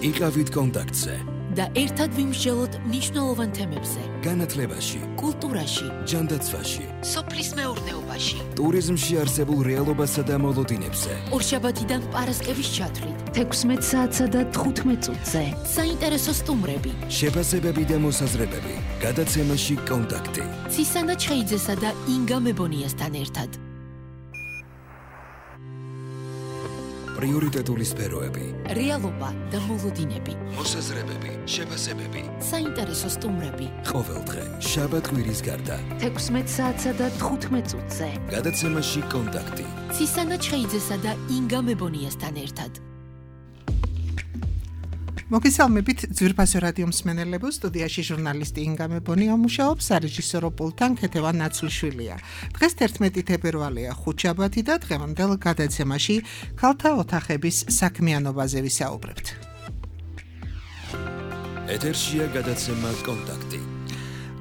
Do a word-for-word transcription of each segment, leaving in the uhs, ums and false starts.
იყავით კონტაქტზე და ერთად ვიმსჯელოთ მნიშვნელოვან თემებზე. განათლებაში, კულტურაში, ჯანდაცვაში, სოფლის მეურნეობაში, ტურიზმში არსებულ რეალობასა და მოლოდინებზე. ორშაბათიდან პარასკევის ჩათვლით, თექვსმეტ საათსა და თხუთმეტ წუთზე. საინტერესო სტუმრები, შეფასებები და მოსაზრებები. გადაცემაში კონტაქტი. ცისანა ჩხეიძესა და ინგა მებონიასთან ერთად. პრიორიტეტული სფეროები. რეალობა და მოლოდინები. მოსაზრებები, შეფასებები. საინტერესო სტუმრები. ყოველდღე, შაბათ-კვირის გარდა. თექვსმეტ საათსა და თხუთმეტ წუთზე. გადაცემაში კონტაქტი. ცისანა ჩხეიძესა და ინგა მებონიასთან ერთად. მოგესალმებით ძვირფასო რადიო მსმენელებო, სტუდიაში ჟურნალისტი ინგა მებონია მუშაობს, სარეჟისორო პულტთან ქეთევან ნაცვლიშვილია. დღეს თერთმეტი თებერვალია, ხუთშაბათი და დღევანდელ გადაცემაში ქალთა ოთახების საქმიანობაზე ვისაუბრებთ. ეთერშია გადაცემა კონტაქტი.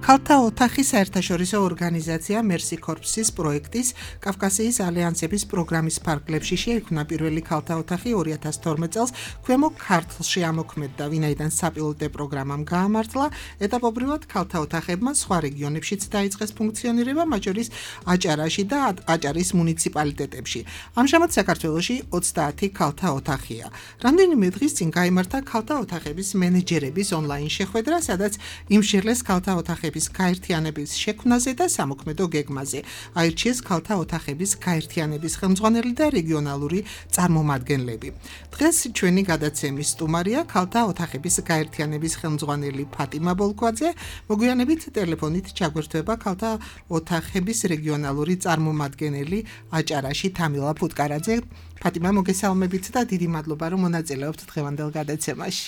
ქალთა ოთახი საერთაშორისო ორგანიზაცია Mercy Corps-ის პროექტის კავკასიის ალიანსების პროგრამის ფარგლებში შეიქმნა პირველი ქალთა ოთახი ორი ათას თორმეტ წელს ქვემო ქართლში ამოქმედდა, ვინაიდან საპილოტე პროგრამამ გაამართლა, ეტაპობრივად ქალთა ოთახებმა სხვა რეგიონებშიც დაიწყეს ფუნქციონირება, მათ შორის აჭარაში და აჭარის მუნიციპალიტეტებში. ამჟამად საქართველოში ოცდაათი ქალთა ოთახია. რამდენიმე დღის წინ გაიმართა ქალთა ოთახების მენეჯერების ონლაინ შეხვედრა, სადაც იმშევლეს ქალთა ოთახების გაერთიანების შექმნაზე და სამოქმედო გეგმაზე. აირჩიეს ქალთა ოთახების გაერთიანების ხელმძღვანელი და რეგიონალური წარმომადგენლები. დღეს ჩვენი გადაცემის სტუმარია ქალთა ოთახების გაერთიანების ხელმძღვანელი ფატიმა ბოლქვაძე. მოგვიანებით ტელეფონით ჩაგვერთვება ქალთა ოთახების რეგიონალური წარმომადგენელი აჭარაში თამილა ფუტკარაძე. ფატიმა, მოგესალმებით და დიდი მადლობა, რომ მონაწილეობთ დღევანდელ გადაცემაში.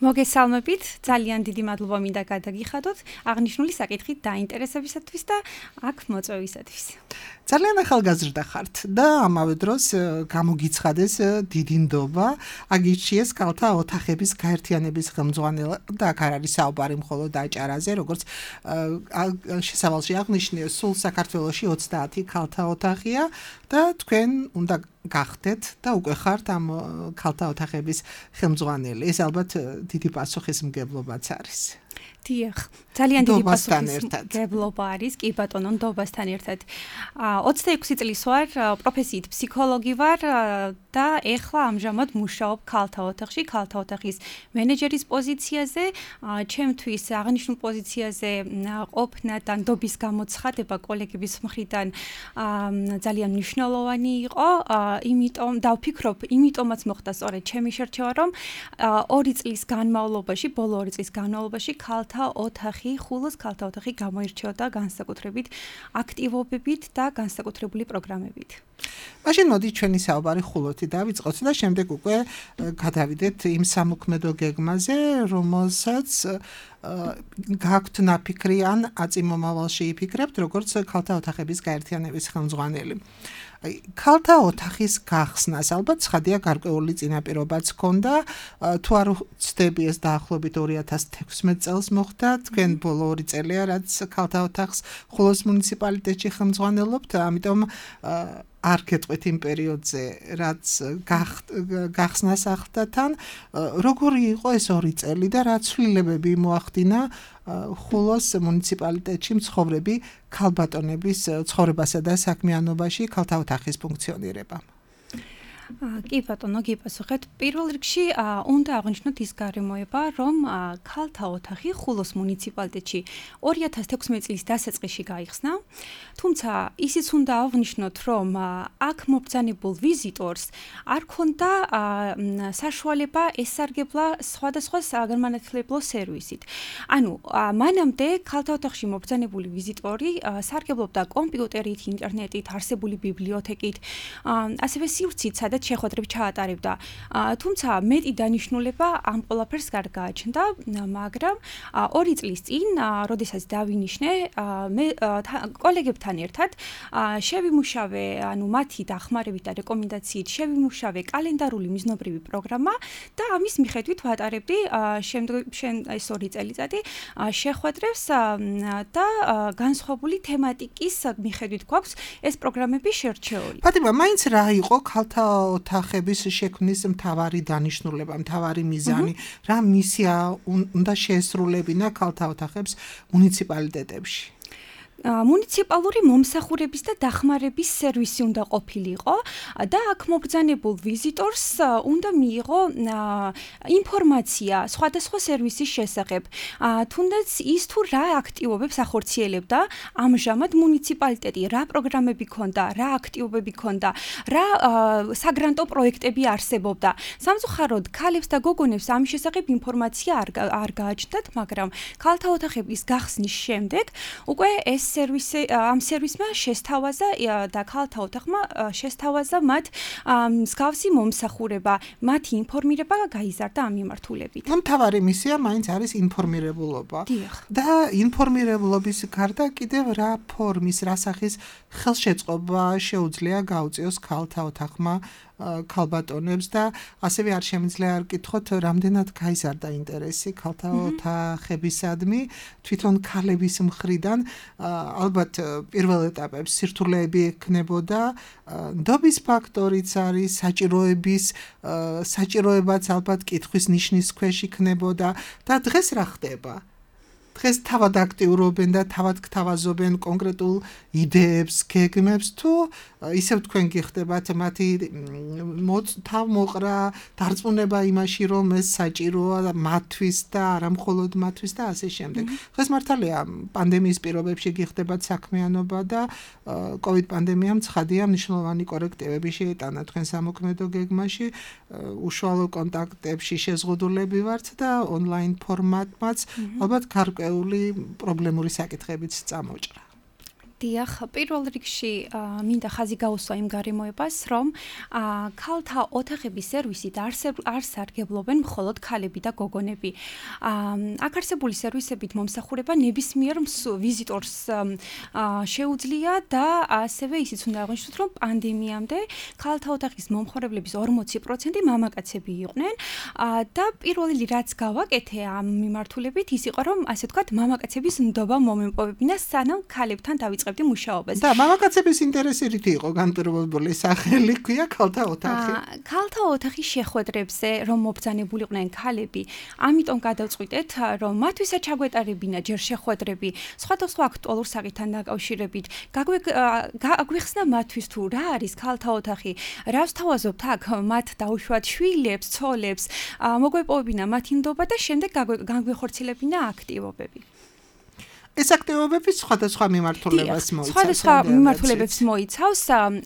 მოგესალმებით, ძალიან დიდი მადლობა მინდა გადაგიხადოთ აღნიშნული საკითხით დაინტერესებისათვის და აქ მოწვევისათვის. ძალიან ახალგაზრდა ხართ და ამავე დროს გამოგიცხადეს დიდი ნდობა, აგირჩიეს ქალთა ოთახების გაერთიანების ხელმძღვანელად და აქ არ არის საუბარი მხოლოდ აჭარაზე, როგორც შესავალში აღნიშნე, სულ საქართველოში ოცდაათი ქალთა ოთახია და თქვენ უნდა გახდეთ და უკვე ხართ ამ ქალთა ოთახების ხელმძღვანელი. ეს ალბათ დიდი პასუხისმგებლობაც არის. დიახ, ძალიან დიდი პასუხისმგებლობა არის, კი ბატონო, ნდობასთან ერთად. ოცდაექვსი წლის ვარ, პროფესიით ფსიქოლოგი ვარ და ეხლა ამჟამად მუშაობ ქალთა ოთახში, ქალთა ოთახის მენეჯერის პოზიციაზე. ჩემთვის აღნიშნულ პოზიციაზე ყოფნა და ნდობის გამოცხადება კოლეგების მხრიდან ძალიან მნიშვნელოვანი იყო, იმიტომ და ვფიქრობ, იმიტომაც მოხდა სწორედ ჩემი შერჩევა, რომ ორი წლის განმავლობაში, ბოლო ორი წლის განმავლობაში ქალთა ოთახი, ხულოს ქალთა ოთახი გამოირჩეოდა განსაკუთრებით აქტივობებით და განსაკუთრებული პროგრამებით. მაშინ მოდი ჩვენი საუბარი ხულოთი დავიწყოთ და შემდეგ უკვე გადავიდეთ იმ სამოქმედო გეგმაზე, რომელსაც გაქვთ ნაფიქრი ან აწინმომავალში იფიქრებთ, როგორც ქალთა ოთახების გაერთიანების ხელმძღვანელი. ქალთა ოთახის გახსნას ალბათ ცხადია გარკვეული წინაპირობაც ჰქონდა, თუ არ ვცდები ეს დაახლოებით ორი ათას თექვსმეტ წელს მოხდა, თქვენ ბოლო ორი წელია რაც ქალთა ოთახს ხულოს მუნიციპალიტეტში ხელმძღვანელობთ, ამიტომ არ გეტყვით იმ პერიოდზე, რაც გახსნას ახლდათან, როგორი იყო ეს ორი წელი და რა ცვლილებები მოახდინა ხულოს მუნიციპალიტეტში მცხოვრები ქალბატონების ცხოვრებასა და საქმიანობაში ქალთა ოთახის ფუნქციონირებამ. კი ბატონო, გიპასუხეთ. პირველ რიგში უნდა აღნიშნოთ ის გარემოება, რომ ქალთა ოთახი ხულოს მუნიციპალიტეტში ორი ათას თექვსმეტ წლის დასაწყისში გაიხსნა. თუმცა ისიც უნდა აღნიშნოთ, რომ აქ მობრძანებულ ვიზიტორს არ ქონდა საშუალება ესარგებლა სხვადასხვა საგანმანათლებლო სერვისით. ანუ მანამდე ქალთა ოთახში მობრძანებული ვიზიტორი სარგებლობდა კომპიუტერით, ინტერნეტით, არსებული ბიბლიოთეკით, ასევე სივრცით, სადაც შეხვედრები ჩაატარებდა. თუმცა მეტი დანიშნულება ამ ყველაფერს არ გააჩნდა, მაგრამ ორი წლის წინ, როდესაც დავინიშნე, მე კოლეგებთან ერთად შევიმუშავე, ანუ მათი დახმარებით და რეკომენდაციით შევიმუშავე კალენდარული მიზნობრივი პროგრამა და ამის მიხედვით ვატარებდი შემდგომ ეს ორი წელიწადი შეხვედრებს და განსხვავებული თემატიკის მიხედვით გვაქვს ეს პროგრამები შერჩეული. ფატიმა, მაინც რა იყო ქალთა ოთახების შექმნის მთავარი დანიშნულება, მთავარი მიზანი, რა მისია უნდა შეესრულებინა ქალთა ოთახებს მუნიციპალიტეტებში? მუნიციპალური მომსახურების და დახმარების სერვისი უნდა ყოფილიყო და აქ მობრძანებულ ვიზიტორს უნდა მიიღო ინფორმაცია სხვადასხვა სერვისის შესახებ. თუნდაც ის თუ რა აქტივობებს ახორციელებდა ამჟამად მუნიციპალიტეტი, რა პროგრამები ქონდა, რა აქტივობები ქონდა, რა საგრანტო პროექტები არსებობდა. სამწუხაროდ ქალებს და გოგონებს ამის შესახებ ინფორმაცია არ არ გააჩნდათ, მაგრამ ქალთა ოთახების გახსნის შემდეგ უკვე ეს სერვისი ამ სერვისმა შესთავაზა და ქალთა ოთახმა შესთავაზა მათ მსგავსი მომსახურება, მათი ინფორმირება გაიზარდა ამ მიმართულებით. მთავარი მისია მაინც არის ინფორმირებულობა. და ინფორმირებულობის გარდა კიდევ რა ფორმის, რა სახის ხელშეწყობა შეუძლია გაუწიოს ქალთა ოთახმა ქალბატონებს და ასევე არ შემიძლია არ კითხოთ რამდენად გაიზარდა ინტერესი ქალთა ოთახებისადმი თვითონ ქალების მხრიდან ალბათ პირველ ეტაპებში სირთულეები ექნებოდა ნდობის ფაქტორიც არის საჭიროების საჭიროებაც ალბათ კითხვის ნიშნის ქვეშ იქნებოდა და დღეს რა ხდება დღეს თავად აქტიურობენ და თავად გთავაზობენ კონკრეტულ იდეებს, გეგმებს თუ ისევ თქვენ გიხდებათ მათი თავმოყრა დარწმუნება იმაში რომ ეს საჭიროა მათთვის და არა მხოლოდ მათთვის და ასე შემდეგ. დღეს მართალია პანდემიის პირობებში გიხდებათ საქმიანობა და კოვიდ პანდემიამ ცხადია მნიშვნელოვანი კორექტივები შეიტანა თქვენ სამოქმედო გეგმაში, უშუალო კონტაქტებში შეზღუდულები ვართ და ონლაინ ფორმატმაც ალბათ გარკვეული პრობლემური საკითხებიც წამოჭრა. დიახ, პირველ რიგში მინდა ხაზი გაუსვა იმ გარემოებას, რომ ქალთა ოთახების სერვისით არ სარგებლობენ მხოლოდ ქალები და გოგონები. აქ არსებული სერვისებით მომსახურება ნებისმიერ ვიზიტორს შეუძლია და ასევე ისიც უნდა აღვნიშნოთ, რომ პანდემიამდე ქალთა ოთახის მომხმარებლების ორმოცი პროცენტი მამაკაცები იყვნენ და პირველი რაც გავაკეთე ამ მიმართულებით ის იყო, რომ ასე ვთქვათ, მამაკაცების ნდობა მომემპოვებინა, სანამ ქალებთან დავიწყებდი მუშაობას. და მამაკაცების ინტერესი რითი იყო განპირობებული სახელი ქვია ქალთა ოთახი. ქალთა ოთახის შეხვედრებზე რომ მობრძანებულიყვნენ ქალები, ამიტომ გადავწყვიტეთ, რომ მათვისაც ჩაგვეტარებინა ჯერ შეხვედრები სხვადასხვა აქტუალურ საკითხთან დაკავშირებით. გაგვიხსნა მათთვის თუ რა არის ქალთა ოთახი, რა ვსთავაზობთ აქ მათ დაუშვათ შვილებს, ცოლებს, მოგვეპოვებინა მათი ნდობა და შემდეგ განგვეხორციელებინა აქტივობები. ეს აქტივობები სხვადასხვა მიმართულებას მოიცავს. სხვადასხვა მიმართულებებს მოიცავს,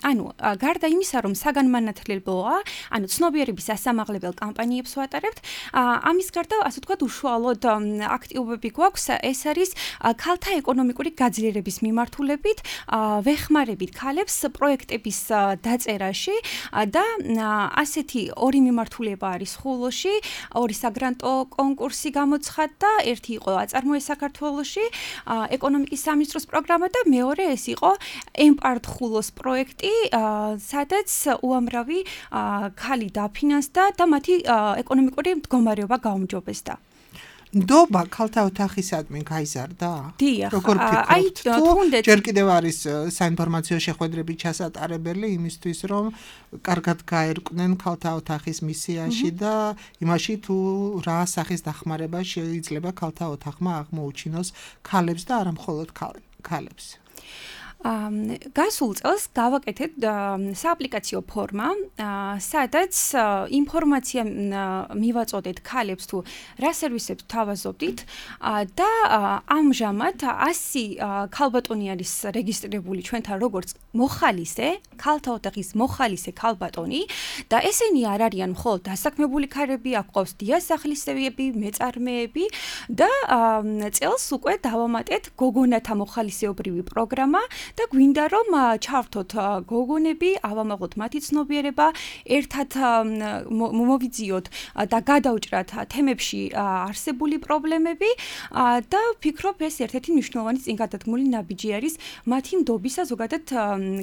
ანუ გარდა იმისა, რომ საგანმანათლებელოა, ანუ ცნობიერების ასამაღლებელ კამპანიებს ვატარებთ, ამის გარდა, ასე ვთქვათ, უშუალოდ აქტივობები გვაქვს, ეს არის ქალთა ეკონომიკური გაძლიერების მიმართულებით, ვეხმარებით ქალებს პროექტების დაწერაში და ასეთი ორი მიმართულება არის ხულოში, ორი საგრანტო კონკურსი გამოცხადდა, ერთი იყო აწარმოე საქართველოში ეკონომიკის სამინისტროს პროგრამა და მეორე ეს იყო ემპარტ ხულოს პროექტი, სადაც უამრავი ქალი დაფინანსდა და მათი ეკონომიკური მდგომარეობა გაუმჯობესდა. ნდობა ქალთა ოთახისადმი გაიზარდა? დიახ, როგორ ფიქრობთ? თუნდაც ჯერ კიდევ არის საინფორმაციო შეხვედრები ჩასატარებელი იმისთვის, რომ კარგად გაერკვნენ ქალთა ოთახის მისიაში და იმაში თუ რა სახის დახმარება შეიძლება ქალთა ოთახმა აღმოუჩინოს ქალებს და არა მხოლოდ ქალებს. გასულ წელს გავაკეთეთ სააპლიკაციო ფორმა, სადაც ინფორმაცია მივაწოდეთ ქალებს თუ რა სერვისებს თავაზობდით და ამჟამად ასი ქალბატონი არის რეგისტრირებული ჩვენთან როგორც მოხალისე, ქალთა ოთახის მოხალისე ქალბატონი და ესენი არ არიან მხოლოდ დასაქმებული ქალები, აქ ყავს დიასახლისები, მეწარმეები და წელს უკვე დავამატეთ გოგონათა მოხალისეობრივი პროგრამა და გვინდა რომ ჩავთოთ გოგონები, ავამაღლოთ მათი ცნობიერება, ერთად მოვიძიოთ და გადავჭრათ თემებში არსებული პრობლემები და ვფიქრობ ეს ერთ-ერთი მნიშვნელოვანი წინგადადგმული ნაბიჯი არის მათი ნდობისა ზოგადად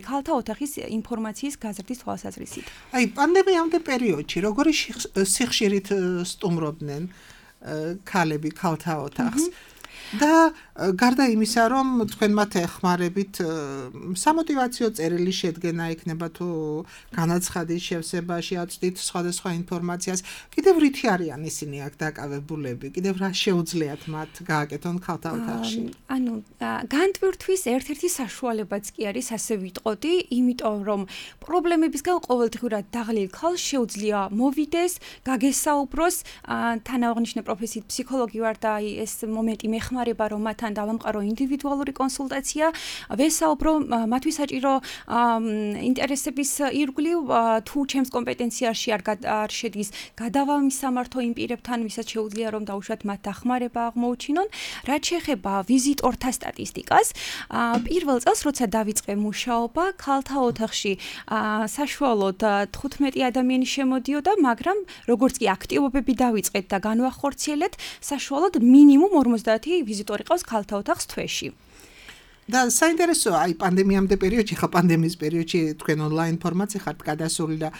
ქალთა ოთახის ინფორმაციის გაზრდის თვალსაზრისით. აი, პანდემიამდე პერიოდში როგორი სიხშირით სტუმრობდნენ ქალები ქალთა ოთახს და გარდა იმისა, რომ თქვენ მათ ეხმარებით სამოტივაციო წერილი შედგენა იქნება თუ განაცხადის შევსება შეაწვდით სხვადასხვა ინფორმაციას, კიდევ რითი არიან ისინი აქ დაკავებულები, კიდევ რა შეუძლიათ მათ გააკეთონ ქალთა ოთახში? ანუ განტვირთვის ერთ-ერთი საშუალებაც კი არის, ასე ვიტყოდი, იმიტომ რომ პრობლემებისგან ყოველდღურად დაღლილ ქალს შეუძლია მოვიდეს, გაგესაუბროს, თანააღნიშნე პროფესიით ფსიქოლოგი ვარ და ეს მომენტი მეხმარება, რომ მათთან დავამყარო ინდივიდუალური კონსულტაცია, ვესაუბრო მათთვის საჭირო ინტერესების ირგვლივ თუ ჩემს კომპეტენციაში არ შედის, გადავამისამართო იმ პირებთან, ვისაც შეუძლია რომ დაუშვათ მათ დახმარება აღმოუჩინონ. რაც შეეხება ვიზიტორთა სტატისტიკას, პირველ წელს როცა დავიწყე მუშაობა, ქალთა ოთახში საშუალოდ თხუთმეტი ადამიანი შემოდიოდა, მაგრამ როგორც კი აქტივობები დავიწყეთ და განვახორციელეთ, საშუალოდ მინიმუმ ორმოცდაათი ვიზიტორი ყავს ქალთა ოთახს თვეში. და საინტერესოა, აი პანდემიამდე პერიოდში, ხა პანდემიის პერიოდში თქვენ ონლაინ ფორმატზე ხართ გადასული და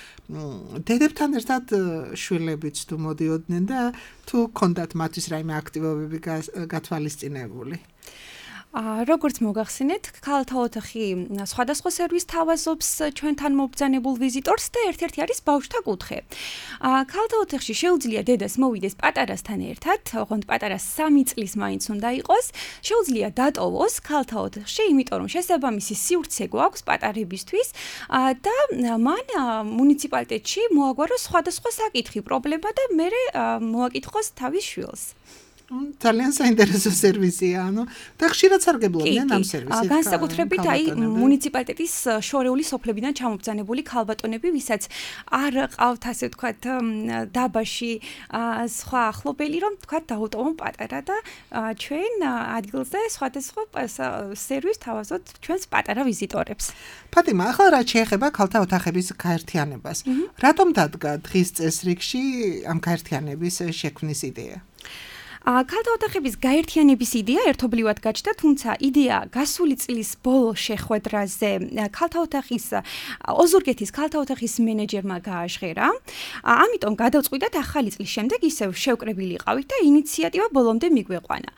დედებთან ერთად შვილებიც თუ მოდიოდნენ და თუ ქონდათ მათთვის რაიმე აქტივობები გათვალისწინებული? როგორც მოგახსენეთ, ქალთა ოთახი სხვადასხვა სერვისს თავაზობს ჩვენთან მობრძანებულ ვიზიტორს და ერთ-ერთი არის ბავშვთა კუთხე. ქალთა ოთახში შეუძლია დედას მოვიდეს პატარასთან ერთად, ოღონდ პატარა სამი წლის მაინც უნდა იყოს, შეუძლია დატოვოს ქალთა ოთახში, იმიტომ რომ შესაბამისი სივრცე გვაქვს პატარებისთვის და მან მუნიციპალიტეტში მოაგვაროს სხვადასხვა საკითხი, პრობლემა და მერე მოაკითხოს თავის შვილს. ძალიან საინტერესო სერვისია, ანუ და ხშირად სარგებლობდნენ ამ სერვისით. განსაკუთრებით აი მუნიციპალიტეტის შორეული სოფლებიდან ჩამობრძანებული ქალბატონები, ვისაც არ ყავთ ასე ვთქვათ დაბაში სხვა ახლობელი, რომ ვთქვათ დაუტოვონ პატარა და ჩვენ ადგილზე სხვადასხვა სერვისს თავაზობთ ჩვენს პატარა ვიზიტორებს. ფატიმა, ახლა რაც შეეხება ქალთა ოთახების გაერთიანებას, რატომ დადგა დღის წესრიგში ამ გაერთიანების შექმნის იდეა? ქალთა ოთახების გაერთიანების იდეა ერთობლივად გაჩნდა, თუმცა იდეა გასული წლის ბოლოს შეხვედრაზე ქალთა ოთახის ოზურგეთის ქალთა ოთახის მენეჯერმა გააჟღერა. ამიტომ გადავწყვიტეთ ახალი წლის შემდეგ ისევ შევკრებილიყავით და ინიციატივა ბოლომდე მიგვეყვანა.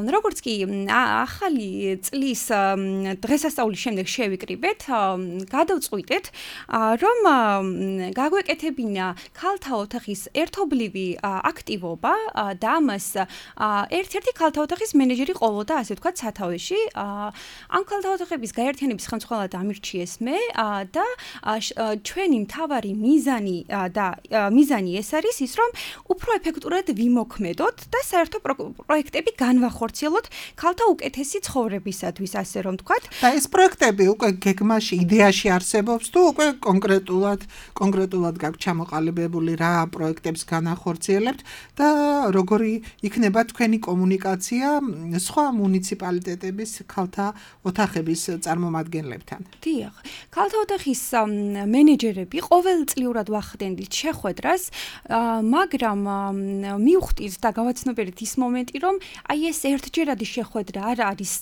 როგორც კი ახალი წლის დღესასწაულის შემდეგ შევიკრიბეთ, გადავწყვიტეთ, რომ გაგვეკეთებინა ქალთა ოთახის ერთობლივი აქტივობა და ამას ერთ-ერთი ქალთა ოთახის მენეჯერი ყოლოდა, ასე ვთქვათ, სათავეში. ამ ქალთა ოთახების გაერთიანების ხელმძღვანელად ამირჩიეს მე და ჩვენი მთავარი მიზანი და მიზანი ეს არის ის, რომ უფრო ეფექტურად ვიმოქმედოთ და საერთო პროექტები განვახორციელოთ ქალთა უკეთესი ცხოვრებისათვის, ასე რომ ვთქვათ. და ეს პროექტები უკვე გეგმაში, იდეაში არსებობს თუ უკვე კონკრეტულად კონკრეტულად გაქვთ ჩამოყალიბებული რა პროექტებს განახორციელებთ და როგორი იქნება თქვენი კომუნიკაცია სხვა მუნიციპალიტეტების ქალთა ოთახების წარმომადგენლებთან? დიახ, ქალთა ოთახის მენეჯერები ყოველწლიურად ვახდენდით შეხვედრას, მაგრამ მივხვდით და გავაცნობიერეთ ის მომენტი, რომ აი ეს ერთჯერადი შეხვედრა არ არის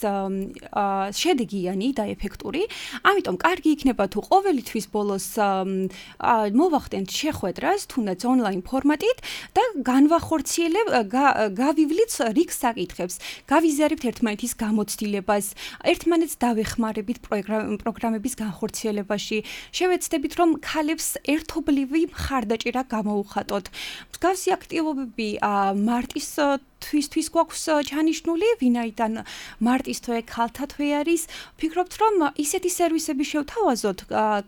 შედეგიანი და ეფექტური, ამიტომ კარგი იქნება თუ ყოველი თვის ბოლოს მოვახდენთ შეხვედრას, თუნდაც ონლაინ ფორმატით და განვახორციელებ გავივლით რიგ საკითხებს, გავიზიარებთ ერთმანეთის გამოცდილებას, ერთმანეთს დავეხმარებით პროგრამების განხორციელებაში, შევეცდებით, რომ ქალებს ერთობლივი მხარდაჭერა გამოუხატოთ. მსგავსი აქტივობები მარტის თვისთვის გვაქვს ჩანიშნული, ვინაიდან მარტის თვე ქალთა თვე არის. ვფიქრობთ, რომ ისეთი სერვისები შევთავაზოთ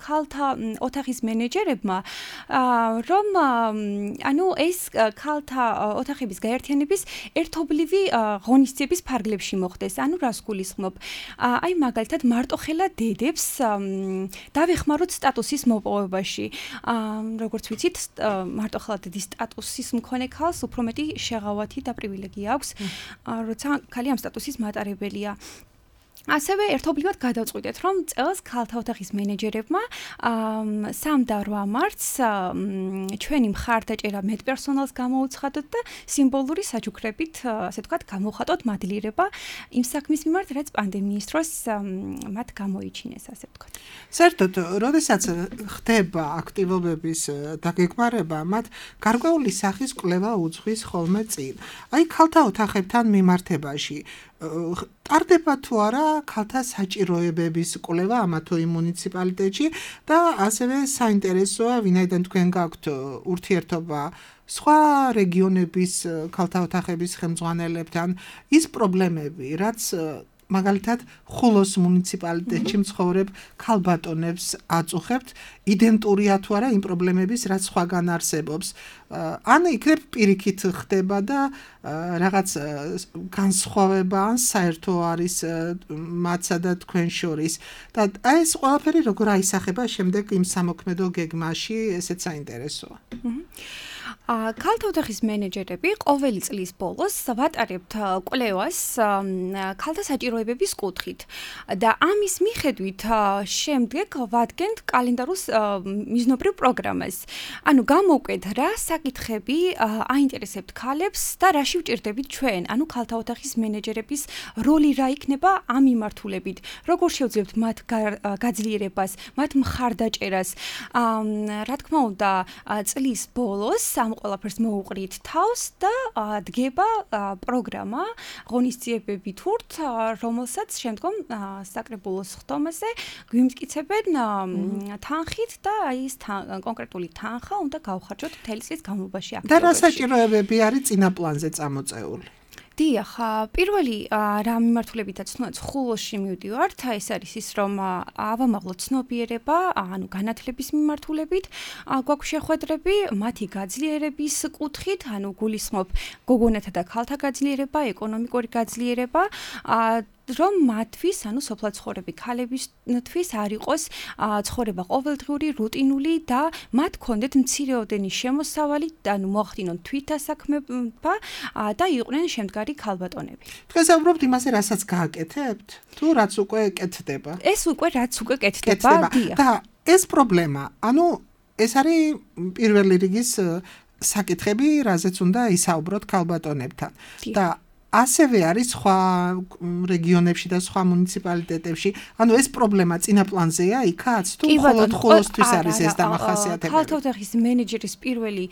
ქალთა ოთახის მენეჯერებმა, რომ ანუ ეს ქალთა ოთახების გაერთიანების ერთობლივი ღონისძიების ფარგლებში მოხდეს. ანუ რას გულისხმობ? აი მაგალითად მარტოხელა დედებს დავეხმაროთ სტატუსის მოპოვებაში. როგორც ვიცით, მარტოხელა დედის სტატუსის მქონე ქალს უფრო მეტი შეღავათი და პრივილეგია აქვს, როცა ქალი ამ სტატუსის მატარებელია. ასევე ერთობლივად გადავწყვიტეთ, რომ წელს ქალთა ოთახის მენეჯერებმა სამ და რვა მარტს ჩვენი მხარდაჭერა მეტ პერსონალს გამოუცხადოთ და სიმბოლური საჩუქრებით, ასე ვთქვათ, გამოვხატოთ მადლიერება იმ საქმის მიმართ, რაც პანდემიის დროს მათ გამოიჩინეს, ასე ვთქვათ. საერთოდ, როდესაც ხდება აქტივობების დაგეგმარება, მათ გარკვეული სახის კვლევა უძღვის ხოლმე წინ. აი, ქალთა ოთახებთან მიმართებაში ტარდება თუ არა ქალთა საჭიროებების კვლევა ამა თუ იმ მუნიციპალიტეტში და ასევე საინტერესოა, ვინაიდან თქვენ გაქვთ ურთიერთობა სხვა რეგიონების ქალთა ოთახების ხელმძღვანელებთან, ის პრობლემები, რაც მაგალითად ხულოს მუნიციპალიტეტში მცხოვრებ ქალბატონებს აწუხებთ, იდენტურია თუ არა იმ პრობლემების, რაც სხვაგან არსებობს. ან იქნებ პირიქით ხდება და რაღაც განსხვავება ან საერთო არის მათსა და თქვენ შორის. და აი ეს ყველაფერი როგორ აისახება შემდეგ იმ სამოქმედო გეგმაში, ესეც საინტერესოა. ქალთა ოთახის მენეჯერები ყოველი წლის ბოლოს ვატარებთ კვლევას ქალთა საჭიროებების კუთხით და ამის მიხედვით შემდეგ ვადგენთ კალენდარულ მიზნობრივ პროგრამას. ანუ გამოვკვეთ რა საკითხები აინტერესებთ ქალებს და რაში ვჭირდებით ჩვენ, ანუ ქალთა ოთახის მენეჯერების როლი რა იქნება ამ მიმართულებით, როგორ შევძლებთ მათ გაძლიერებას, მათ მხარდაჭერას. რა თქმა უნდა, წლის ბოლოს ამ ყველაფერს მოუყრით თავს და დგება პროგრამა ღონისძიებები თურთ, რომელსაც შემდგომ საკრებულოს ხდომაზე გვიმტკიცებენ თანხით და აი ეს კონკრეტული თანხა უნდა გავხარჯოთ მთელი წლის განმავლობაში აქტივობაში. და რა საჭიროებები არის წინა პლანზე წამოწეული? დიახ, პირველი რა მიმართულებითაც თუნდაც ხულოში მივდივართ, ეს არის ის, რომ ავამაღლოთ ცნობიერება, ანუ განათლების მიმართულებით, გვაქვს შეხვედრები, მათი გაძლიერების კუთხით, ანუ გულისხმობ გოგონათა და ქალთა გაძლიერება, ეკონომიკური გაძლიერება, რომ მათთვის, ანუ სოფლად ცხოვრები ქალებისთვის არ იყოს ცხოვრება ყოველდღიური, რუტინული და მათ ქონდეთ მცირეოდენი შემოსავალი, ანუ მოახდინონ თვითასაქმება და იყვნენ შემდგარი ქალბატონები. თქვენ საუბრობთ იმაზე, რასაც გააკეთებთ? თუ რაც უკვე კეთდება? ეს უკვე რაც უკვე კეთდება, დიახ. და ეს პრობლემა, ანუ ეს არის პირველი რიგის საკითხები, რაზეც უნდა ისაუბროთ ქალბატონებთან. და ასევე არის სხვა რეგიონებში და სხვა მუნიციპალიტეტებში. ანუ ეს პრობლემა წინა პლანზეა იქაც? თუ მხოლოდ ხულოსთვის არის ეს დამახასიათებელი? ქალთა ოთახის მენეჯერის პირველი,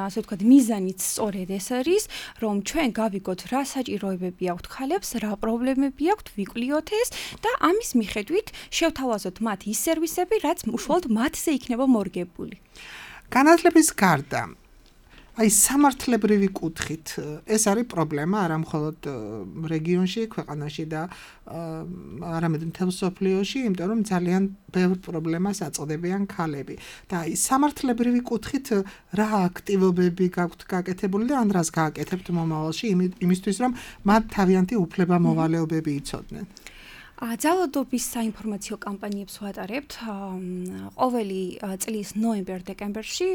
ასე ვთქვათ, მიზანიც სწორედ ეს არის, რომ ჩვენ გავიგოთ რა საჭიროებები აქვთ ქალებს, რა პრობლემები აქვთ, ვიკვლიოთ ეს და ამის მიხედვით შევთავაზოთ მათ ის სერვისები, რაც უშუალოდ მათზე იქნება მორგებული. განათლების გარდა აი სამართლებრივი კუთხით ეს არის პრობლემა არა მხოლოდ რეგიონში, ქვეყანაში და არამედ მთელ მსოფლიოში, იმიტომ რომ ძალიან ბევრ პრობლემას აწყდებიან ქალები. და აი სამართლებრივი კუთხით რა აქტივობები გაქვთ გაკეთებული და ან რას გააკეთებთ მომავალში იმისთვის, რომ მათ თავიანთი უფლება-მოვალეობები იცოდნენ? ძალადობის საინფორმაციო კამპანიებს ვატარებთ ყოველი წლის ნოემბერ-დეკემბერში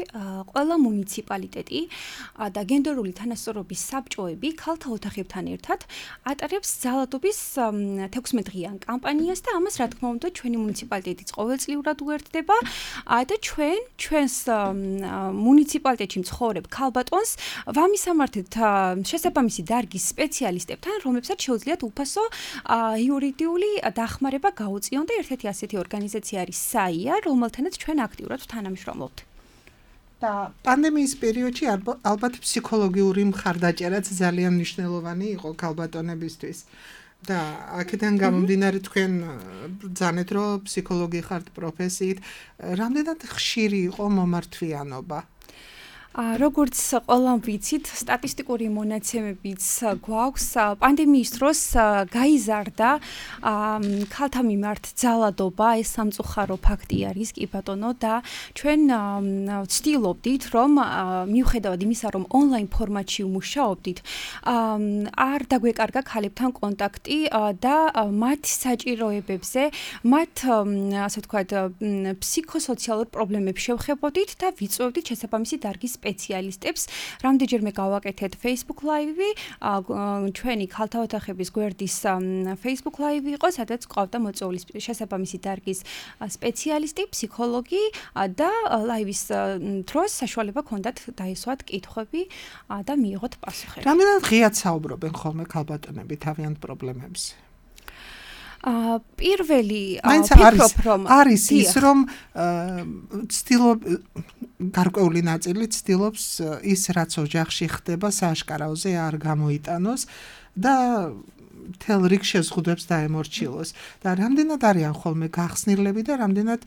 ყველა მუნიციპალიტეტი და გენდერული თანასწორობის საბჭოები ქალთა ოთახებთან ერთად ატარებს ძალადობის თექვსმეტდღიან კამპანიას და ამას რა თქმა უნდა ჩვენი მუნიციპალიტეტიც ყოველწლიურად უერთდება და ჩვენ ჩვენს მუნიციპალიტეტში მცხოვრებ ქალბატონს ვამისამართებთ შესაბამისი დარგის სპეციალისტებთან, რომლებსაც შეუძლიათ უფასო იურიდიული დახმარება გაუწიონ და ერთ-ერთი ასეთი ორგანიზაცია არის საია, რომელთანაც ჩვენ აქტიურად თანამშრომლობთ. და პანდემიის პერიოდში ალბათ ფსიქოლოგიური მხარდაჭერაც ძალიან მნიშვნელოვანი იყო ქალბატონებისთვის. და აქედან გამომდინარე თქვენ ბრძანეთ, რომ ფსიქოლოგი ხართ პროფესიით, რამდენად ხშირი იყო მომართვიანობა? როგორც ყველამ ვიცით, სტატისტიკური მონაცემებიც გვაქვს, პანდემიის დროს გაიზარდა ქალთა მიმართ ძალადობა, ეს სამწუხარო ფაქტი არის, კი ბატონო, და ჩვენ ვცდილობდით, რომ მიუხედავად იმისა, რომ ონლაინ ფორმატში ვმუშაობდით, არ დაგვეკარგა ქალებთან კონტაქტი და მათ საჭიროებებზე, მათ, ასე ვთქვათ, ფსიქოსოციალურ პრობლემებს შევხებოდით და ვიწვევდით შესაბამისი დარგის სპეციალისტებს. რამდენჯერმე გავაკეთეთ Facebook Live-ი, ჩვენი ქალთა ოთახების გვერდის Facebook Live-ი იყო, სადაც ყავდა მოწვეულის შესაბამისი დარგის სპეციალისტი, ფსიქოლოგი და ლაივის დროს საშუალება ჰქონდათ დაესვათ კითხვები და მიიღოთ პასუხები. რამდენად ღიად საუბრობენ ხოლმე ქალბატონები თავიანთ პრობლემებზე? აა პირველი ფიქრობ რომ არის ის რომ ცდილობ გარკვეული ნაწილი ცდილობს ის რაც ოჯახში ხდება სააშკარაოზე არ გამოიტანოს და თელ რიგ შეზღუდვებს დაემორჩილოს და რამდენად არიან ხოლმე გახსნილები და რამდენად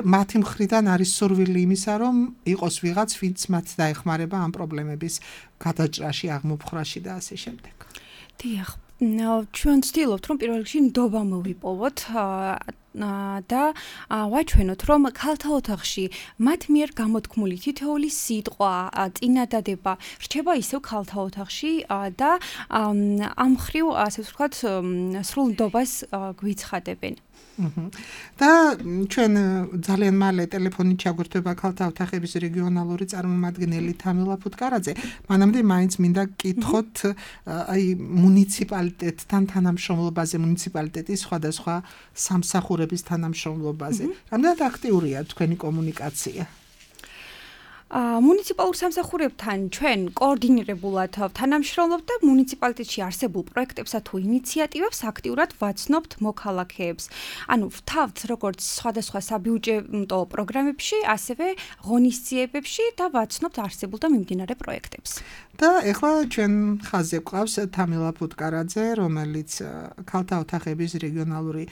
მათი მხრიდან არის სურვილი იმისა რომ იყოს ვიღაც ვინც მათ დაეხმარება ამ პრობლემების გადაჭრაში აღმოფხრაში და ასე შემდეგ. დიახ, ჩვენ ვცდილობთ რომ პირველ რიგში ნდობა მოვიპოვოთ და ვაჩვენოთ რომ ქალთა ოთახში მათ მიერ გამოთქმული თითოეული სიტყვა, წინადადება რჩება ისევ ქალთა ოთახში და ამ მხრივ ასე ვთქვათ სრულ ნდობას გვიცხადებენ. და ჩვენ ძალიან მალე ტელეფონით ჩაგვერთვება ქალთა ოთახების რეგიონალური წარმომადგენელი თამილა ფუტკარაძე. მანამდე მაინც მინდა გკითხოთ აი მუნიციპალიტეტთან თანამშრომლობაზე, მუნიციპალიტეტის სხვადასხვა სამსახურების თანამშრომლობაზე. რამდენად აქტიურია თქვენი კომუნიკაცია? მუნიციპალურ სამსახურებთან ჩვენ კოორდინირებულად თანამშრომლობთ და მუნიციპალიტეტში არსებულ პროექტებსა თუ ინიციატივებს აქტიურად ვაცნობთ მოქალაქეებს. ანუ ვთავთ როგორც სხვადასხვა საბიუჯეტო პროგრამებში, ასევე ღონისძიებებში და ვაცნობთ არსებულ და მიმდინარე პროექტებს. და ეხლა ჩვენ ხაზზე გვყავს თამილა ფუტკარაძე, რომელიც ქალთა ოთახების რეგიონალური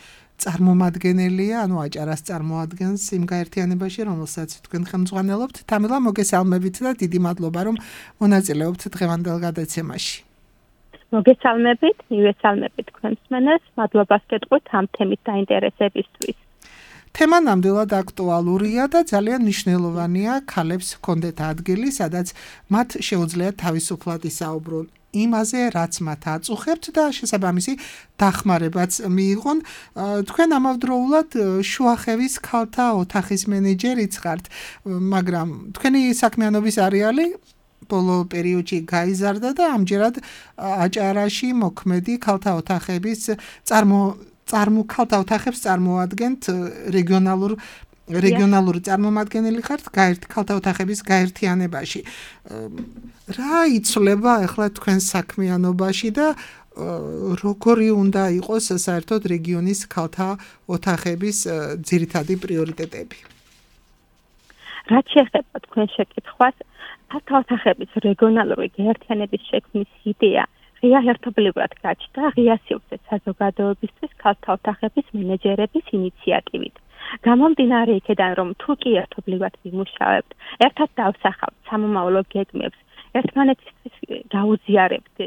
წარმომადგენელია, ანუ აჭარას წარმოადგენს იმ გაერთიანებაში, რომელსაც თქვენ ხელმძღვანელობთ. თამილა, მოგესალმებით და დიდი მადლობა, რომ მონაწილეობთ დღევანდელ გადაცემაში. მოგესალმებით, მივესალმებით თქვენს მენას, მადლობას გეტყვით ამ თემის დაინტერესებისთვის. თემა ნამდვილად აქტუალურია და ძალიან მნიშვნელოვანია ქალებს ჰქონდეთ ადგილი, სადაც მათ შეუძლიათ თავისუფლად ისაუბრონ იმაზე, რაც მათ აწუხებთ და შესაბამისი დახმარებაც მიიღონ. თქვენ ამავდროულად შუახევის ქალთა ოთახის მენეჯერიც ხართ, მაგრამ თქვენი საქმიანობის არეალი ბოლო პერიოდში გაიზარდა და ამჯერად აჭარაში მოქმედი ქალთა ოთახების წარმო წარმო ქალთა ოთახებს წარმოადგენთ რეგიონალურ რეგიონალური წარმომადგენელი ხართ ქალთა ოთახების გაერთიანებაში. რა იცვლება ახლა თქვენ საქმიანობაში და როგორი უნდა იყოს საერთოდ რეგიონის ქალთა ოთახების ძირითადი პრიორიტეტები? რაც შეეხება თქვენ შეკითხვას, ქალთა ოთახების რეგიონალური გაერთიანების შექმნის იდეა ღია ერთობლივად გაჩნდა ღია სივრცე საზოგადოებისთვის ქალთა ოთახების მენეჯერების ინიციატივით. გამომდინარე იქედან, რომ თუ კი ერთობლივად ვიმუშავებთ, ერთად დავსახავთ სამომავლო გეგმებს, ერთმანეთისთვის გაუზიარებთ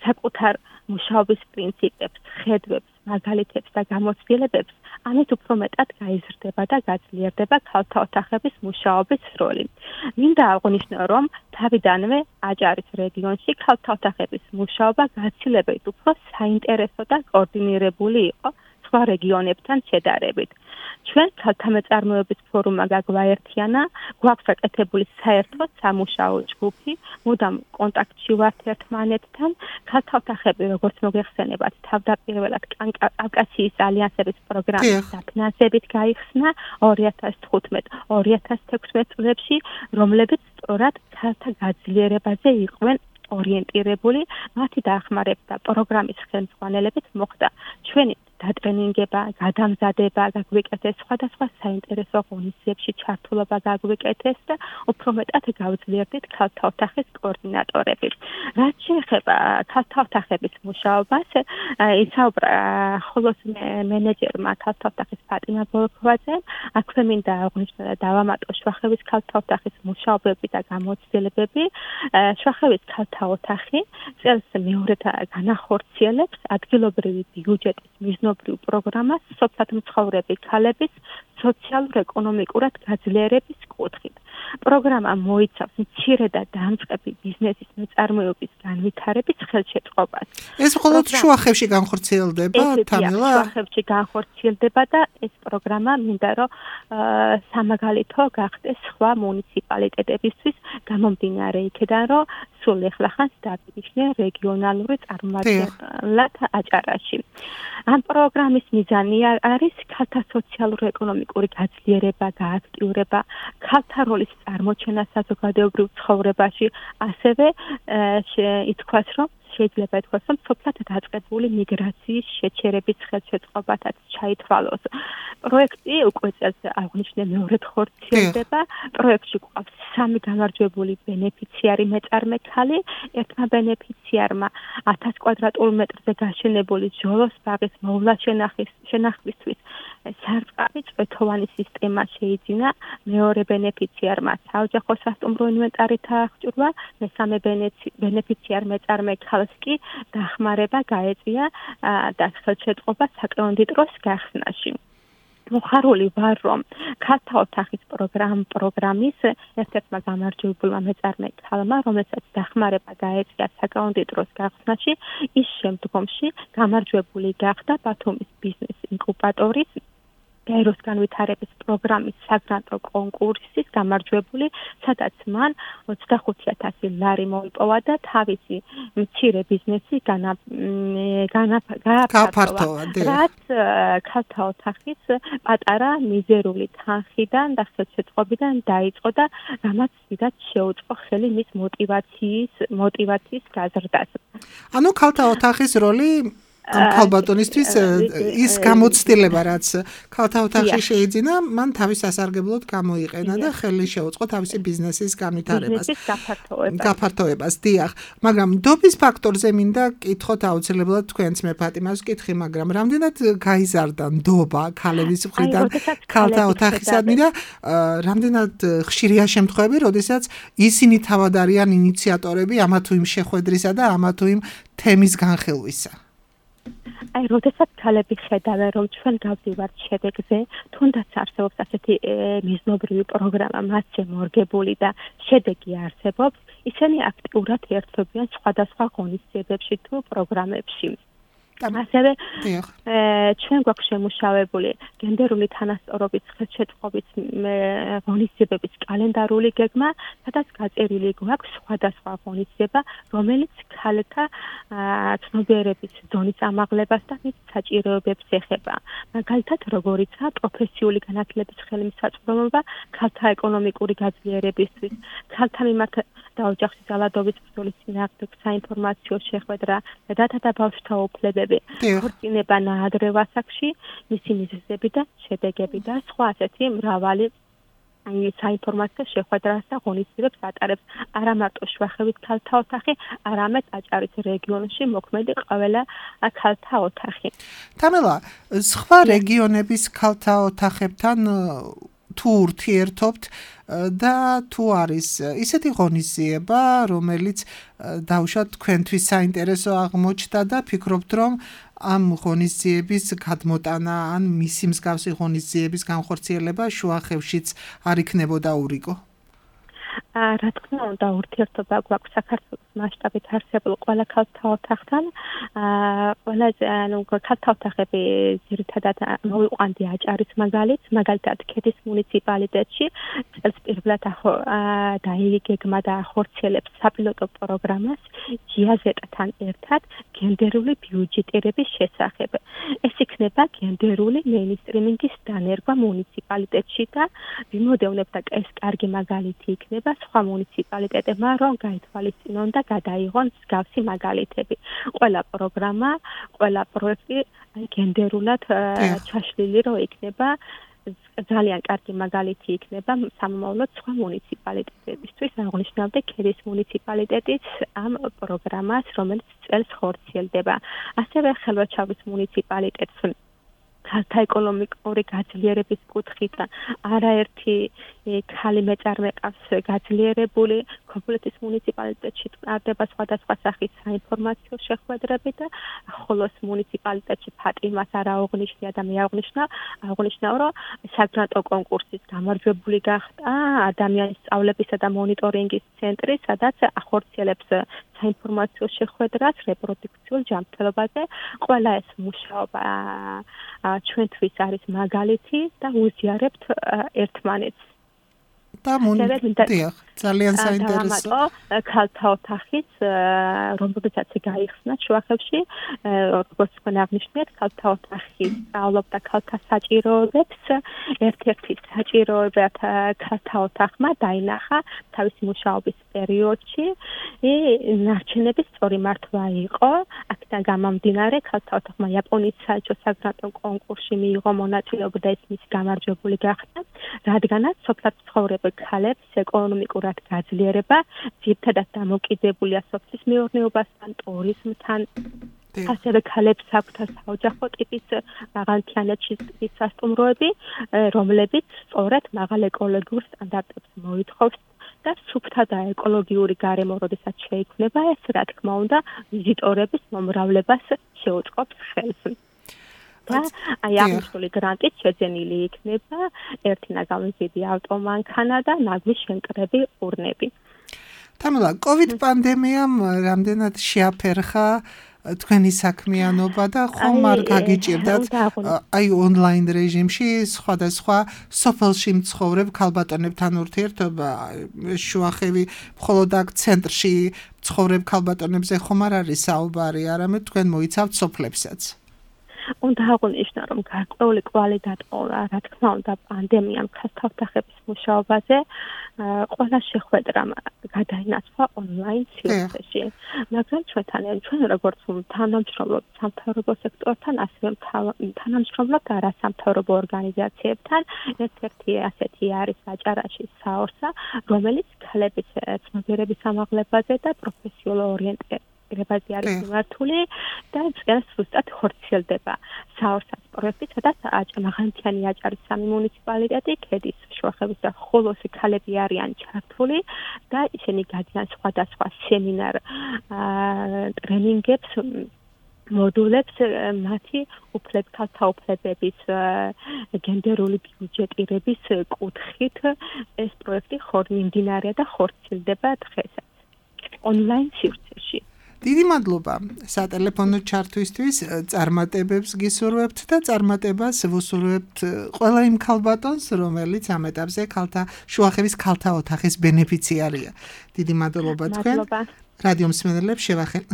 საკუთარ მუშაობის პრინციპებს, ხედვებს, მაგალითებს და გამოცდილებებს, ამით უფრო მეტად გაიზრდება და გაძლიერდება ქალთა ოთახების მუშაობის როლი. მინდა აღვნიშნო, რომ თავიდანვე აჭარის რეგიონში ქალთა ოთახების მუშაობა გაცილებით უფრო საინტერესო და კოორდინირებული იყო სხვა რეგიონებთან შედარებით. ჩვენ ქალთა მეწარმეობის ფორუმმა გაგვაერთიანა, გვაქვს გაკეთებული საერთო სამუშაო ჯგუფი, მუდამ კონტაქტში ვართ ერთმანეთთან. ქალთა ოთახები, როგორც მოგეხსენებათ, თავდაპირველად კავკასიის ალიანსების პროგრამის დაფინანსებით გაიხსნა ორი ათას თხუთმეტ ორი ათას თექვსმეტ წლებში, რომლებიც სწორად ქალთა გაძლიერებაზე იყვნენ ორიენტირებული. მათი დახმარება პროგრამის ხელმძღვანელობით მოხდა ჩვენი დატრენინგება, გადამზადება, გაგვიკეთეს სხვადასხვა საინტერესო ღონისძიებებში ჩართულობა გაგვიკეთეს და უფრო მეტად გავძლიერდით ქალთა ოთახის კოორდინატორები. რაც შეეხება ქალთა ოთახების მუშაობას, ისაუბრა ხოლოს მენეჯერმა ქალთა ოთახის ფატიმა ბოლოქვაძემ, აქვე მინდა აღვნიშნო და დავამატო შუახევის ქალთა ოთახის მუშაობები და გამოცდილებები. შუახევის ქალთა ოთახი წელს მეორედ განახორციელებს ადგილობრივი ბიუჯეტის მიზნობრივ პროგრამას სოფლად მცხოვრები ქალების სოციალურ-ეკონომიკურად გაძლიერების კუთხით. პროგრამა მოიცავს მცირე და დამწყები ბიზნესის მეწარმეობის განვითარების ხელშეწყობას. ეს მხოლოდ შუახევში განხორციელდება, თამილა? შუახევში განხორციელდება და ეს პროგრამა მინდა რომ სამაგალითო გახდეს სხვა მუნიციპალიტეტებისთვის, გამომდინარე იქიდან, რომ სულ ეხლახანს დაბიჯდნენ რეგიონალური წარმომადგენლად აჭარაში. ამ პროგრამის მიზანი არის ქალთა სოციალურ-ეკონომიკური გაძლიერება, გააქტიურება, ქალთა როლის წარმოჩენა საზოგადოებრივ ცხოვრებაში, ასევე ითქვას, რომ შეიძლება ითქვას, რომ სოფლად დაწყებული მიგრაციის შეჩერების ხელშეწყობათაც ჩაითვალოს. პროექტი უკვე წელს აღნიშნე მეორედ ხორციელდება. პროექტში გვყავს სამი გამარჯვებული ბენეფიციარი მეწარმე ქალი, ერთმა ბენეფიციარმა ათას კვადრატულ მეტრზე გაშენებული ჟოლოს ბაღის მოვლა შენახვისთვის სარწყავი წვეთოვანი სისტემა შეიძინა, მეორე ბენეფიციარმა საოჯახო სასტუმრო ინვენტარით აღჭურვა, მესამე ბენეფიციარ მეწარმე ქალს კი დახმარება გაეწია და ხელშეწყობა საკრონდიტროს გახსნაში. მოხარული ვარ, რომ ქალთა ოთახის პროგრამის ერთ-ერთმა გამარჯვებულმა მეწარმე ქალმა, რომელსაც დახმარება გაეწია საკრონდიტროს გახსნაში, ის შემდგომში გამარჯვებული გახდა ბათუმის ბიზნეს ინკუბატორის გაეროს განვითარების პროგრამის საგრანტო კონკურსის გამარჯვებული, სადაც მან ოცდახუთი ათასი ლარი მოიპოვა და თავისი მცირე ბიზნესი გააფართოვა, რაც ქალთა ოთახის პატარა მიზერული თანხიდან და ხელშეწყობიდან დაიწყო და რამაც დიდად შეუწყო ხელი მის მოტივაციის მოტივაციის გაზრდას. ანუ ქალთა ოთახის როლი ამ ქალბატონისთვის ის გამოცდილება, რაც ქალთა ოთახში შეიძინა, მან თავის სასარგებლოდ გამოიყენა და ხელი შეუწყო თავისი ბიზნესის განვითარებას. გაფართოებას, დიახ. მაგრამ დობის ფაქტორზე მინდა კითხოთ აუცილებლად თქვენც მე ფატიმას ვკითხი, მაგრამ რამდენად გაიზარდა ნდობა ქალების მხრიდან ქალთა ოთახისადმი და რამდენად ხშირია შემთხვევები, როდესაც ისინი თავად არიან ინიციატორები ამა თუ იმ შეხვედრისა და ამა თუ იმ თემის განხილვისა. აი, როდესაც ქალები ხედავენ, რომ ჩვენ გავდივართ შედეგზე, თუნდაც არსებობს ასეთი მიზნობრივი პროგრამა მასზე მორგებული და შედეგი არსებობს, ისინი აქტიურად ერთვებიან სხვადასხვა ღონისძიებებში თუ პროგრამებში. ასევე ჩვენ გვაქვს შემუშავებული გენდერული თანასწორობის ხელშეწყობის ღონისძიებების კალენდარული გეგმა, სადაც გაწერილი გვაქვს სხვადასხვა ღონისძიება, რომელიც ქალთა ცნობიერების ზონის ამაღლებას და მის საჭიროებებს ეხება. მაგალითად, როგორიცაა პროფესიული განათლების ხელმისაწვდომობა ქალთა ეკონომიკური გაძლიერებისთვის, ქალთა მიმართ და ოჯახის ძალადობის ბრძოლის წინააღმდეგ საინფორმაციო შეხვედრა, დედა და ბავშვთა უფლებები, ქორწინება ნაადრევ ასაკში, მისი მიზეზები და შედეგები და სხვა ასეთი მრავალი საინფორმაციო შეხვედრას და ღონისძიებებს ატარებს. არა მარტო შუახევის ქალთა ოთახი, არამედ აჭარის რეგიონში მოქმედი ყველა ქალთა ოთახი. თამელა, სხვა რეგიონების ქალთა ოთახებთან თუ ურთიერთობთ და თუ არის ისეთი ღონისძიება, რომელიც დაუშვათ თქვენთვის საინტერესო აღმოჩნდა და ფიქრობთ, რომ ამ ღონისძიების გადმოტანა ან მისი მსგავსი ღონისძიების განხორციელება შუახევშიც არ იქნებოდა ურიგო? რა თქმა უნდა, ურთიერთობა გვაქვს საქართველოს მასშტაბით არსებულ ყველა ქალთა ოთახთან. ყველაზე ანუ ქალთა ოთახები ძირითადად მოვიყვანდი აჭარის მაგალითს, მაგალითად ქედის მუნიციპალიტეტში წელს პირველად დაიგეგმა და ახორციელებს საპილოტო პროგრამას ჯიაზეტთან ერთად გენდერული ბიუჯეტირების შესახებ. ეს იქნება გენდერული მეინსტრიმინგის დანერგვა მუნიციპალიტეტში და ვიმოდევნებ და ეს კარგი მაგალითი იქნება სხვა მუნიციპალიტეტებმა, რომ გაითვალისწინონ და გადაიღონ მსგავსი მაგალითები. ყველა პროგრამა, ყველა პროექტი გენდერულად ჩაშლილი რო იქნება, ძალიან კარგი მაგალითი იქნება სამომავლოდ სხვა მუნიციპალიტეტებისთვის. აღნიშნავდი ქედის მუნიციპალიტეტის ამ პროგრამას, რომელიც წელს ხორციელდება. ასევე ხელვაჩავის მუნიციპალიტეტს ქალთა ეკონომიკური გაძლიერების კუთხით არაერთი ქალი მეწარმე ყავს გაძლიერებული, ქობულეთის მუნიციპალიტეტში ტარდება სხვადასხვა სახის საინფორმაციო შეხვედრები და ხოლოს მუნიციპალიტეტში ფატიმას არ აღვნიშნია და მე აღვნიშნა, აღვნიშნავ, რომ საგრანტო კონკურსის გამარჯვებული გახდა ადამიანის სწავლებისა და მონიტორინგის ცენტრი, სადაც ახორციელებს საინფორმაციო შეხვედრას რეპროდუქციულ ჯანმრთელობაზე. ყველა ეს მუშაობა ჩვენთვის არის მაგალითი და უზიარებთ ერთმანეთს. და მონიტორინგ ძალიან საინტერესო ქალთა ოთახის რომელსაც გაიხსნა შუახევში როგორც თქვენ აღნიშნეთ ქალთა ოთახი სწავლობდა ქალთა საჭიროებებს ერთ-ერთი საჭიროებად ქალთა ოთახმა დაინახა თავისი მუშაობის პერიოდში ნარჩენების სწორი მართვა იყო აქედან გამომდინარე ქალთა ოთახმა იაპონიის საელჩო საგრანტო კონკურსში მიიღო მონაწილეობა და ეს მისი გამარჯვებული გახდა რადგანაც სოფლად ცხოვრებულ ქალებს ეკონომიკურად გაძლიერება ძირითადად დამოკიდებულია სოფლის მეურნეობასთან, ტურიზმთან. ასევე ქალებს აქვთ საოჯახო ტიპის აღანთიანების სასტუმროები, რომლებიც სწორედ მაღალ ეკოლოგიურ სტანდარტებს მოითხოვს და სუფთა და ეკოლოგიური გარემო, როდესაც შეიქმნება ეს, რა თქმა უნდა, ვიზიტორების მომრავლებას შეუწყობს ხელს. და აი აღნიშნული გრანტით შეძენილი იქნება ერთი ნაგავიზიდი ავტომანქანა და ნაგვის შემკრები ურნები. თამილა, COVID პანდემიამ რამდენად შეაფერხა თქვენი საქმიანობა და ხომ არ გაგიჭირდათ აი ონლაინ რეჟიმში სხვადასხვა სოფელში მცხოვრებ ქალბატონებთან ურთიერთობა შუახევი მხოლოდ აქ ცენტრში მცხოვრებ ქალბატონებზე ხომ არ არის საუბარი, არამედ თქვენ მოიცავთ სოფლებსაც. უნდა აღვნიშნო, რომ გარკვეული კვალი დატოვა, რა თქმა უნდა, პანდემიამ ქალთა ოთახების მუშაობაზე ყველა შეხვედრა გადაინაცვლა ონლაინ სივრცეში. მაგრამ ჩვენთან, ჩვენ როგორც თანამშრომლობთ სამთავრობო სექტორთან, ასევე თანამშრომლობთ არასამთავრობო ორგანიზაციებთან, ერთ-ერთი ასეთი არის აჭარაში საორსა, რომელიც ქალების ცნობიერების ამაღლებაზე და პროფესიულ ორიენტირებაზე რებაზი არის მიმართული და ეს ზუსტად ხორციელდება საორსას პროექტი, სადაც მაღალმთიანი აჭარის სამი მუნიციპალიტეტი, ქედის, შუახევის და ხოლოსი ქალები არიან ჩართული და ისინი გადიან სხვადასხვა სემინარ ტრენინგებს მოდულებს მათი უფლებ ქალთა უფლებების გენდერული ბიუჯეტირების კუთხით ეს პროექტი ხორმინდინარია და ხორციელდება დღესაც ონლაინ სივრცეში. დიდი მადლობა სატელეფონო ჩართვისთვის, წარმატებებს გისურვებთ და წარმატებას ვუსურვებთ ყველა იმ ქალბატონს, რომელიც ამ ეტაპზე ქალთა შუახევის ქალთა ოთახის ბენეფიციარია. დიდი მადლობა თქვენ. რადიო მსმენელებს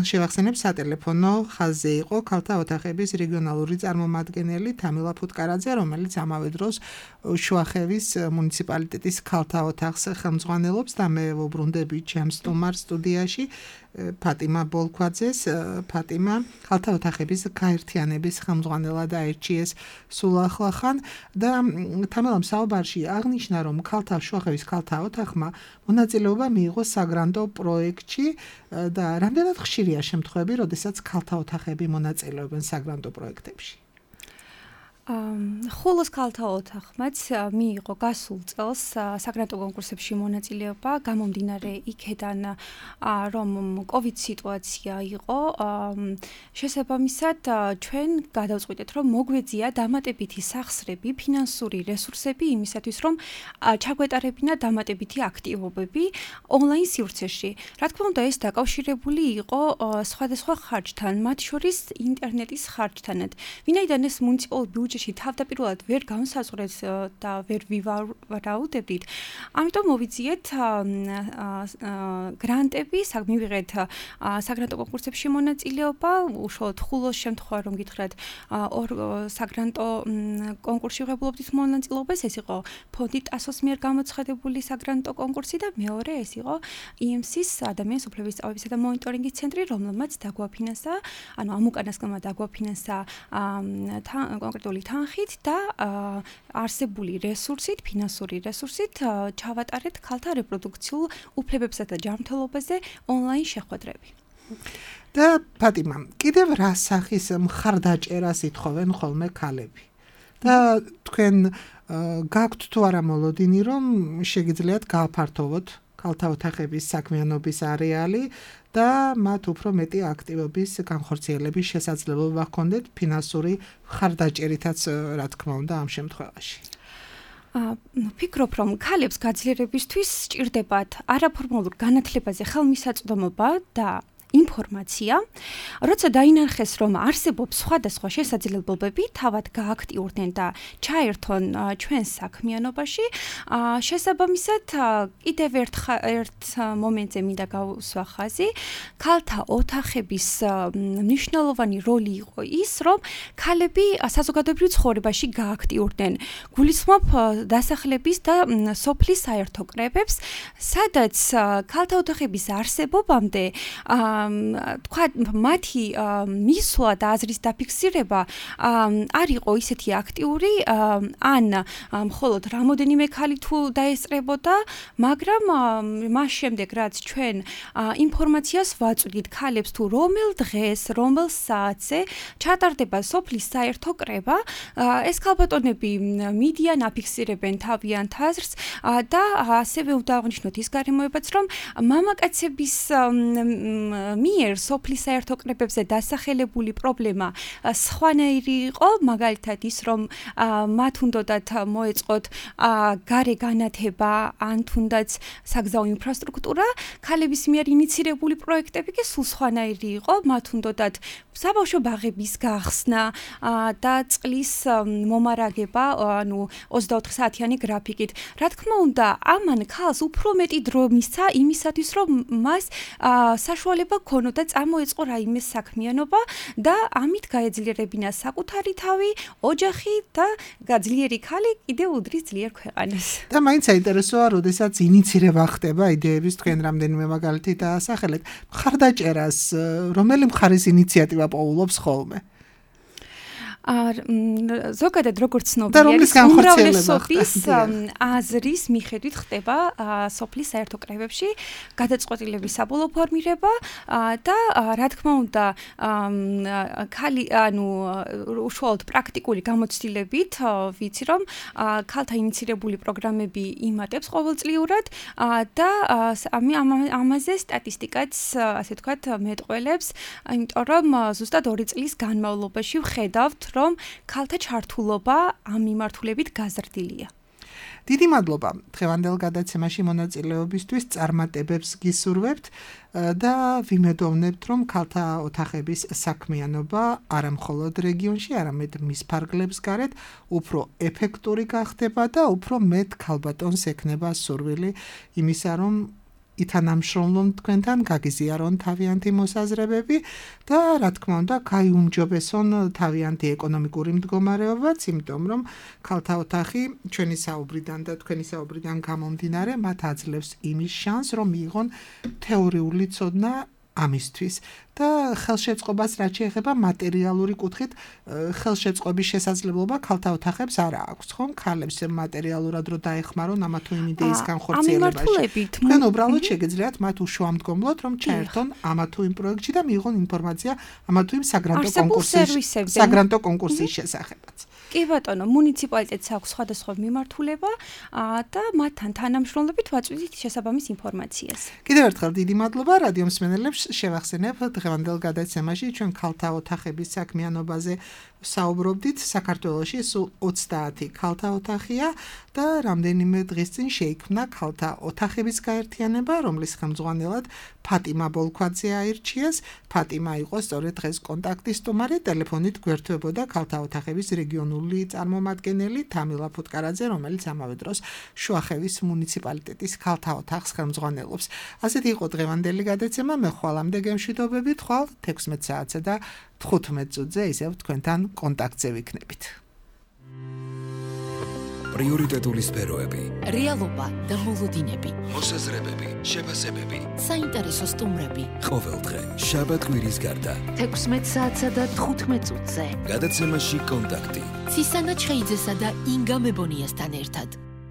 შევახსენებ სატელეფონო ხაზზე იყო ქალთა ოთახების რეგიონალური წარმომადგენელი თამილა ფუტკარაძე, რომელიც ამავე დროს შუახევის მუნიციპალიტეტის ქალთა ოთახს ხელმძღვანელობს და მე ვუბრუნდები ჩემს სტუმარ სტუდიაში ფატიმა ბოლქვაძეს. ფატიმა ქალთა ოთახების გაერთიანების ხელმძღვანელად აირჩიეს სულ ახლახან და თამილამ საუბარში აღნიშნა, რომ ქალთა შუახევის ქალთა ოთახმა მონაწილეობა მიიღო საგრანტო პროექტში და რამდენად ხშირია შემთხვევები, როდესაც ქალთა ოთახები მონაწილეობენ საგრანტო პროექტებში? ხოლოს ქალთა ოთახმაც მიიღო გასულ წელს საგრანტო კონკურსებში მონაწილეობა, გამომდინარე იქედან, რომ COVID სიტუაცია იყო, შესაბამისად ჩვენ გადავწყვიტეთ, რომ მოგვეძია დამატებითი სახსრები, ფინანსური რესურსები იმისათვის, რომ ჩაგვეტარებინა დამატებითი აქტივობები ონლაინ სივრცეში. რა თქმა უნდა, ეს დაკავშირებული იყო სხვადასხვა ხარჯთან, მათ შორის ინტერნეტის ხარჯთანაც. ვინაიდან ეს მუნიციპალური ბიუჯეტი თავდაპირველად ვერ განსაზღვრეს და ვერ ვივარაუდებდით. ამიტომ მოვიძიეთ გრანტები, მივიღეთ საგრანტო კონკურსებში მონაწილეობა, უშუალოდ ხულოს შემთხვევა რომ გითხრათ, ორ საგრანტო კონკურსში ვღებულობდით მონაწილეობას, ეს იყო ფონდი ტასოს მიერ გამოცხადებული საგრანტო კონკურსი და მეორე ეს იყო ი ემ სის ადამიანის უფლებების სწავლებისა და მონიტორინგის ცენტრი, რომელმაც დაგვაფინანსა, ანუ ამ უკანასკნელმა დაგვაფინანსა კონკრეტული თანხით და არსებული რესურსით, ფინანსური რესურსით ჩავატარეთ ქალთა რეპროდუქციულ უფლებებსა და ჯანმრთელობაზე ონლაინ შეხვედრები. და ფატიმა, კიდევ რა სახის მხარდაჭერას ითხოვენ ხოლმე ქალები? და თქვენ გაქვთ თუ არა მოლოდინი, რომ შეგიძლიათ გააფართოვოთ ქალთა ოთახების საქმიანობის არეალი და მათ უფრო მეტი აქტივობის განხორციელების შესაძლებლობა ჰქონდეთ ფინანსური მხარდაჭერითაც, რა თქმა უნდა, ამ შემთხვევაში. ვფიქრობ, რომ ქალებს გაძლიერებისთვის სჭირდებათ არაფორმალურ განათლებაზე ხელმისაწვდომობა და ინფორმაცია, როცა დაინახეს, რომ არსებობს სხვადასხვა შესაძლებლობები, თავად გააქტიურდნენ და ჩაერთონ ჩვენს საქმიანობაში, შესაბამისად, კიდევ ერთ ერთ მომენტზე მინდა გავუსვა ხაზი, ქალთა ოთახების მნიშვნელოვანი როლი იყო ის, რომ ქალები საზოგადოებრივ ცხოვრებაში გააქტიურდნენ. გულისხმობ დასახლების და სოფლის საერთო კრებებს, სადაც ქალთა ოთახების არსებობამდე თქვა მათი მისვლა და აზრის დაფიქსირება არ იყო ისეთი აქტიური, ან მხოლოდ რამოდენიმე ქალი თუ დაესწრებოდა, მაგრამ მას შემდეგ რაც ჩვენ ინფორმაციას ვაწვდით ქალებს თუ რომელ დღეს, რომელ საათზე ჩატარდება სოფლის საერთო კრება, ეს ქალბატონები მიდიან, აფიქსირებენ თავიანთ აზრს და ასევე უნდა აღვნიშნოთ ის გარემოებაც, რომ მამაკაცების მიერ სოფლის საერთო კრებებზე დასახელებული პრობლემა სხვანაირი იყო, მაგალითად ის, რომ მათ უნდათ მოეწყოთ გარე განათება, ან თუნდაც საგზაო ინფრასტრუქტურა, ქალების მიერ ინიცირებული პროექტები კი სულ სხვანაირი იყო, მათ უნდათ საბავშვო ბაღების გახსნა და წყლის მომარაგება, ანუ ოცდაოთხ საათიანი გრაფიკით. რა თქმა უნდა, ამან ქალს უფრო მეტი დრო მისცა იმისათვის, რომ მას საშუალება ქონოდა წამოეწყო რაიმე საქმიანობა და ამით გაეძლიერებინა საკუთარი თავი, ოჯახი და გაძლიერი ქალი კიდევ უდრის ძლიერ ქვეყანას. და მაინც საინტერესოა, როდესაც ინიცირება ხდება იდეების, თქვენ რამდენიმე მაგალითი დაასახელეთ, მხარდაჭერას რომელი მხარის ინიციატივა პოულობს ხოლმე? ზოგადად როგორც ცნობილია, უმრავლესობის აზრის მიხედვით ხდება სოფლის საერთო კრებებში გადაწყვეტილების საბოლოო ფორმირება და რა თქმა უნდა, ქალი, ანუ უშუალოდ პრაქტიკული გამოცდილებით ვიცი, რომ ქალთა ინიცირებული პროგრამები იმატებს ყოველწლიურად და ამაზე სტატისტიკაც, ასე ვთქვათ, მეტყველებს, იმიტომ რომ ზუსტად ორი წლის განმავლობაში ვხედავთ, რომ ქალთა ჩართულობა ამ მიმართულებით გაზრდილია. დიდი მადლობა დღევანდელ გადაცემაში მონაწილეობისთვის, წარმატებებს გისურვებთ და ვიმედოვნებთ, რომ ქალთა ოთახების საქმიანობა არა მხოლოდ რეგიონში, არამედ მის ფარგლებს გარეთ უფრო ეფექტური გახდება და უფრო მეტ ქალბატონს ექნება სურვილი იმისა, რომ ითანამშრომლონ თქვენთან, გაგიზიარონ თავიანთი მოსაზრებები და რა თქმა უნდა, გაიუმჯობესონ თავიანთი ეკონომიკური მდგომარეობაც, იმიტომ რომ ქალთა ოთახი ჩვენი საუბრიდან და თქვენი საუბრიდან გამომდინარე, მათ აძლევს იმის შანსს, რომ მიიღონ თეორიული ცოდნა ამისთვის და ხელშეწყობას რაც შეეხება მატერიალური კუთხით, ხელშეწყობის შესაძლებლობა ქალთა ოთახებს არ აქვს, ხომ? ქალებს მატერიალურად რო დაეხმარონ ამა თუ იმ იდეის განხორციელებაში. თქვენ უბრალოდ შეგეძლიათ მათ უშუამდგომლოდ, რომ ჩაერთონ ამა თუ იმ პროექტში და მიიღონ ინფორმაცია ამა თუ იმ საგრანტო კონკურსის საგრანტო კონკურსის შესახებაც. კი ბატონო, მუნიციპალიტეტს აქვს სხვადასხვა მიმართულება და მათთან თანამშრომლობით ვაწვდით შესაბამის ინფორმაციას. კიდევ ერთხელ დიდი მადლობა რადიო მსმენელებს, შევახსენებ დღევანდელ გადაცემაში ჩვენ ქალთა ოთახების საქმიანობაზე საუბრობდით. საქართველოში სულ ოცდაათი ქალთა ოთახია და რამდენიმე დღის წინ შეიქმნა ქალთა ოთახების გაერთიანება, რომლის ხელმძღვანელად ფატიმა ბოლქვაძე აირჩიეს. ფატიმა იყო სწორედ დღეს კონტაქტის სტუმარი, ტელეფონით გვერდებოდა ქალთა ოთახების რეგიონული წარმომადგენელი თამილა ფუტკარაძე, რომელიც ამავე დროს შუახევის მუნიციპალიტეტის ქალთა ოთახს ხელმძღვანელობს. ასეთი იყო დღევანდელი გადაცემა, მე ხვალამდე გემშვიდობებით, ხვალ თექვსმეტ საათზე და თხუთმეტ წუთზე ისევ თქვენთან კონტაქტზე ვიქნებით. პრიორიტეტული სფეროები, რეალობა და მოლოდინები, მოსაზრებები, შეფასებები, საინტერესო სტუმრები. ყოველდღე შაბათ კვირის გარდა თექვსმეტ საათსა და თხუთმეტ წუთზე. გადაცემაში კონტაქტი. ცისანა ჩხეიძესა და ინგა მებონიასთან ერთად.